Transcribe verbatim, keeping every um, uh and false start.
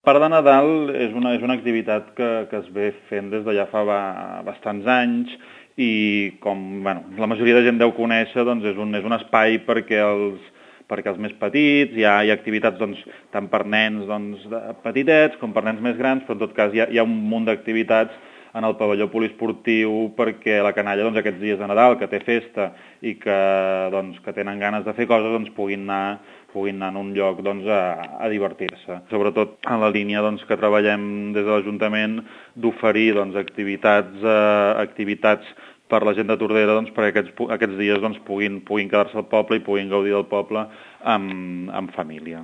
Part de Nadal és una, és una activitat que, que es ve fent des de ja fa ba, bastants anys i com bueno, la majoria de gent deu conèixer, doncs és un, és un espai perquè els, perquè els més petits, hi ha, hi ha activitats doncs, tant per nens doncs, petitets com per nens més grans, però en tot cas hi ha, hi ha un munt d'activitats en el pavelló poliesportiu perquè la canalla doncs, aquests dies de Nadal, que té festa i que, doncs, que tenen ganes de fer coses, doncs, puguin anar puguin anar en un lloc doncs, a, a divertir-se. Sobretot en la línia doncs, que treballem des de l'Ajuntament d'oferir doncs, activitats, eh, activitats per la gent de Tordera doncs, perquè aquests, aquests dies doncs, puguin, puguin quedar-se al poble i puguin gaudir del poble amb, amb família.